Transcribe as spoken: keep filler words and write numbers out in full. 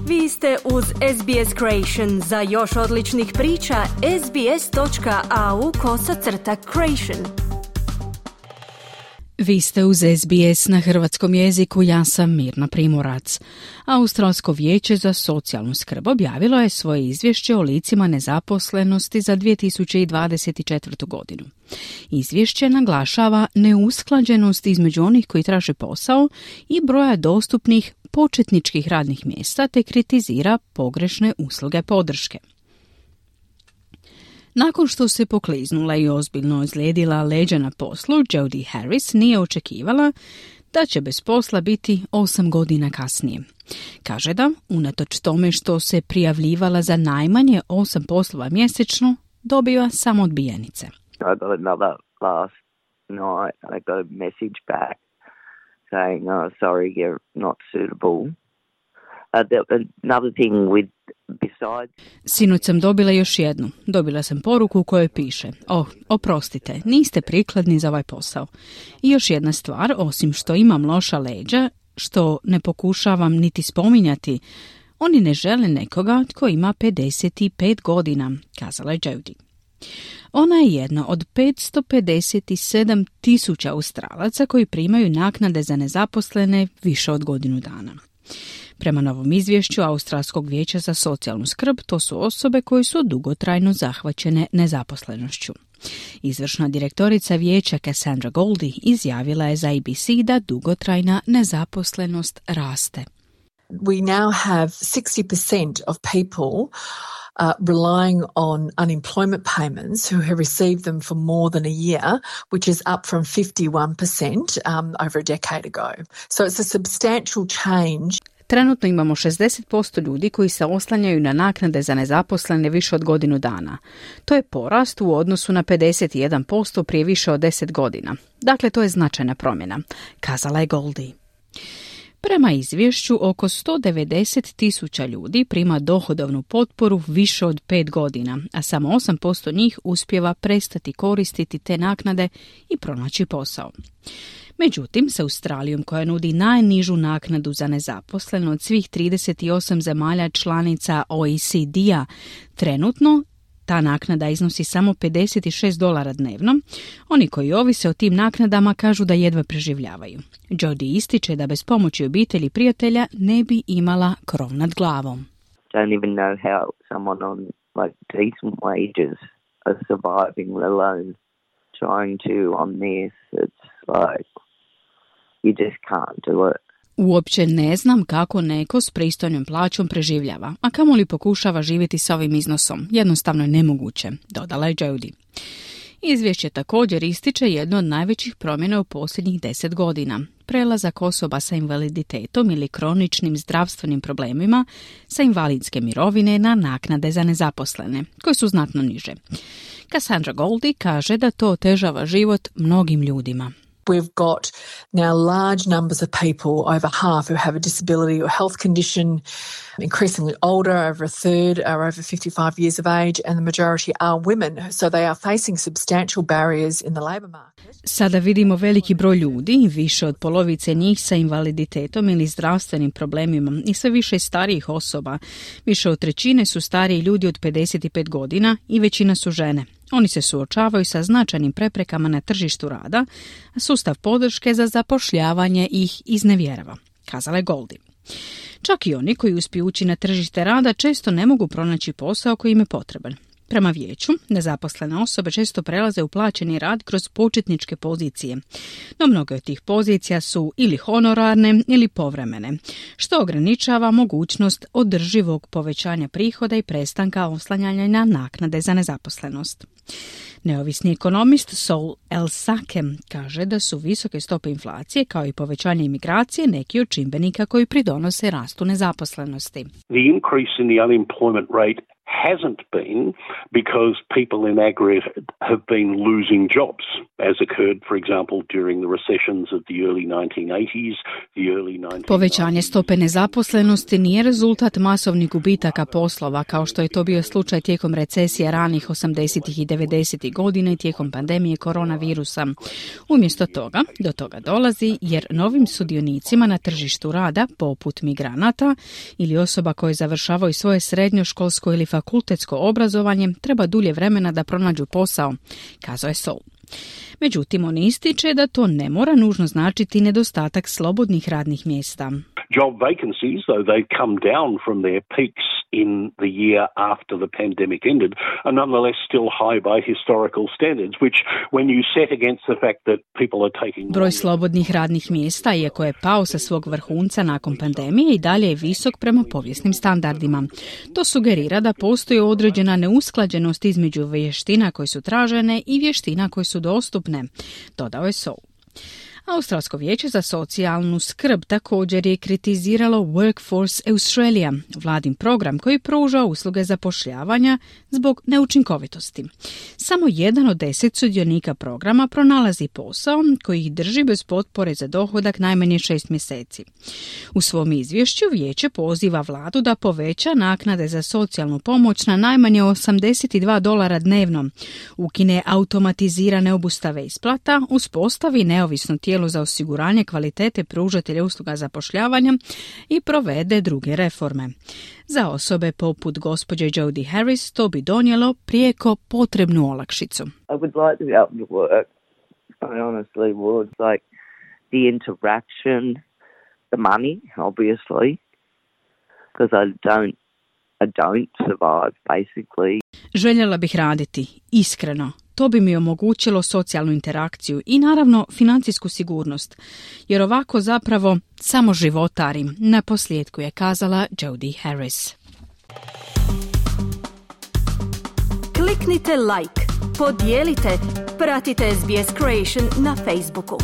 Vi ste uz S B S Creation. Za još odličnih priča, sbs.au kosacrta creation. Vi ste uz S B S na hrvatskom jeziku, ja sam Mirna Primorac. Australsko vijeće za socijalnu skrb objavilo je svoje izvješće o licima nezaposlenosti za dvije tisuće dvadeset četvrtu. godinu. Izvješće naglašava neusklađenost između onih koji traže posao i broja dostupnih početničkih radnih mjesta te kritizira pogrešne usluge podrške. Nakon što se pokliznula i ozbiljno ozlijedila leđa na poslu, Jodie Harris nije očekivala da će bez posla biti osam godina kasnije. Kaže da, unatoč tome što se prijavljivala za najmanje osam poslova mjesečno, dobiva samo odbijenice. I got another last night. I got a message back saying, oh, sorry, you're not suitable. Uh, the, another thing with besides... Sinoć sam dobila još jednu. Dobila sam poruku u kojoj piše: oh, oprostite, niste prikladni za ovaj posao. I još jedna stvar, osim što imam loša leđa, što ne pokušavam niti spominjati, oni ne žele nekoga tko ima pedeset pet godina, kazala je Jodie. Ona je jedna od petsto pedeset sedam tisuća Australaca koji primaju naknade za nezaposlene više od godinu dana. Prema novom izvješću Australskog vijeća za socijalnu skrb, to su osobe koje su dugotrajno zahvaćene nezaposlenošću. Izvršna direktorica vijeća Cassandra Goldie izjavila je za A B C da dugotrajna nezaposlenost raste. We now have sixty percent of people Uh, relying on unemployment payments who have received them for more than a year, which is up from fifty-one percent um, over a decade ago. So it's a substantial change. Trenutno imamo šezdeset posto ljudi koji se oslanjaju na naknade za nezaposlene više od godinu dana. To je porast u odnosu na pedeset jedan posto prije više od deset godina. Dakle, to je značajna promjena, kazala je Goldie. Prema izvješću, oko sto devedeset tisuća ljudi prima dohodovnu potporu više od pet godina, a samo osam posto njih uspijeva prestati koristiti te naknade i pronaći posao. Međutim, s Australijom, koja nudi najnižu naknadu za nezaposleno od svih trideset osam zemalja članica O E C D-a, trenutno ta naknada iznosi samo pedeset šest dolara dnevno. Oni koji ovise o tim naknadama kažu da jedva preživljavaju. Jodie ističe da bez pomoći obitelji i prijatelja ne bi imala krov nad glavom. Don't even know how someone on like decent wages are surviving, let alone trying to on this. It's like you just can't do it. Uopće ne znam kako neko s pristojnom plaćom preživljava, a kamoli pokušava živjeti sa ovim iznosom. Jednostavno je nemoguće, dodala je Jodie. Izvješće također ističe jedno od najvećih promjena u posljednjih deset godina. Prelazak osoba sa invaliditetom ili kroničnim zdravstvenim problemima sa invalidske mirovine na naknade za nezaposlene, koje su znatno niže. Cassandra Goldie kaže da to otežava život mnogim ljudima. We've got now large numbers of people, over half, who have a disability or health condition, increasingly older, over a third are over fifty-five years of age, and the majority are women, so they are facing substantial barriers in the labour market. Sada vidimo veliki broj ljudi, više od polovice njih sa invaliditetom ili zdravstvenim problemima i sve više starijih osoba. Više od trećine su stariji ljudi od pedeset pet godina i većina su žene. Oni se suočavaju sa značajnim preprekama na tržištu rada, a sustav podrške za zapošljavanje ih iznevjerava, kazala je Goldie. Čak i oni koji uspiju ući na tržište rada često ne mogu pronaći posao koji im je potreban. Prema vijeću, nezaposlene osobe često prelaze u plaćeni rad kroz početničke pozicije, no mnoge od tih pozicija su ili honorarne ili povremene, što ograničava mogućnost održivog povećanja prihoda i prestanka oslanjanja na naknade za nezaposlenost. Neovisni ekonomist Saul El-Sakem kaže da su visoke stope inflacije kao i povećanje imigracije neki od čimbenika koji pridonose rastu nezaposlenosti. The increase in the unemployment rate hasn't been because people in aggregate have been losing jobs, as occurred, for example, during the recessions of the early nineteen eighties, the early nineteen nineties. Povećanje stope nezaposlenosti nije rezultat masovnih gubitaka poslova, kao što je to bio slučaj tijekom recesije ranih osamdesetih i devedesetih godina i tijekom pandemije koronavirusa. Umjesto toga, do toga dolazi jer novim sudionicima na tržištu rada, poput migranata ili osoba koje završavaju svoje srednjoškolsko ili fakultetsko obrazovanje, treba dulje vremena da pronađu posao, kazao je Soul. Međutim, on ističe da to ne mora nužno značiti nedostatak slobodnih radnih mjesta. Job vacancies, though they come down from their peaks in the year after the pandemic ended, are nonetheless still high by historical standards, which when you set against the fact that people are taking... Broj slobodnih radnih mjesta, iako je pao sa svog vrhunca nakon pandemije, i dalje je visok prema povijesnim standardima. To sugerira da postoji određena neusklađenost između vještina koje su tražene i vještina koje su dostupne, dodao je Soul. Australsko vijeće za socijalnu skrb također je kritiziralo Workforce Australia, vladin program koji pruža usluge zapošljavanja zbog neučinkovitosti. Samo jedan od deset sudionika programa pronalazi posao koji ih drži bez potpore za dohodak najmanje šest mjeseci. U svom izvješću vijeće poziva vladu da poveća naknade za socijalnu pomoć na najmanje osamdeset dva dolara dnevno, ukine automatizirane obustave isplata, uspostavi neovisno tijelo za osiguranje kvalitete pružatelja usluga zapošljavanja i provede druge reforme. Za osobe poput gospođe Jodie Harris to bi donijelo prijeko potrebnu olakšicu. I would like to be able to work. I honestly would. Like the interaction, the money, obviously, because I don't, I don't survive, basically. Željela bih raditi, iskreno. To bi mi omogućilo socijalnu interakciju i naravno financijsku sigurnost, jer ovako zapravo samo životarim, na posljedku je kazala Jodie Harris. Kliknite like, podijelite, pratite S B S Creation na Facebooku.